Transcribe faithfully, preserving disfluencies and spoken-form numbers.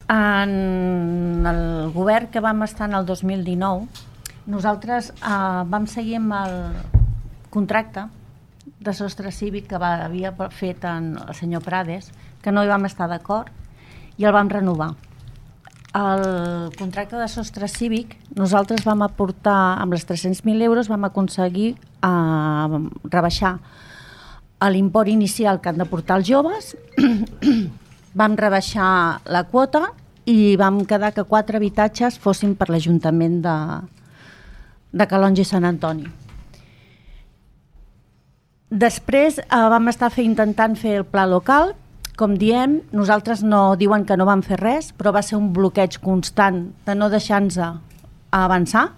En el govern que vam estar en el dos mil dinou, nosaltres eh, vam seguir amb el contracte de sostre cívic que va, havia fet en el senyor Prades, que no hi vam estar d'acord, i el vam renovar. El contracte de sostre cívic, nosaltres vam aportar, amb les tres-cents mil euros, vam aconseguir eh, rebaixar l'import inicial que han de portar els joves, vam rebaixar la quota i vam quedar que quatre habitatges fossin per l'Ajuntament de, de Calonge i Sant Antoni. Després eh, vam estar fer, intentant fer el pla local. Com diem, nosaltres no diuen que no vam fer res, però va ser un bloqueig constant de no deixar-nos avançar.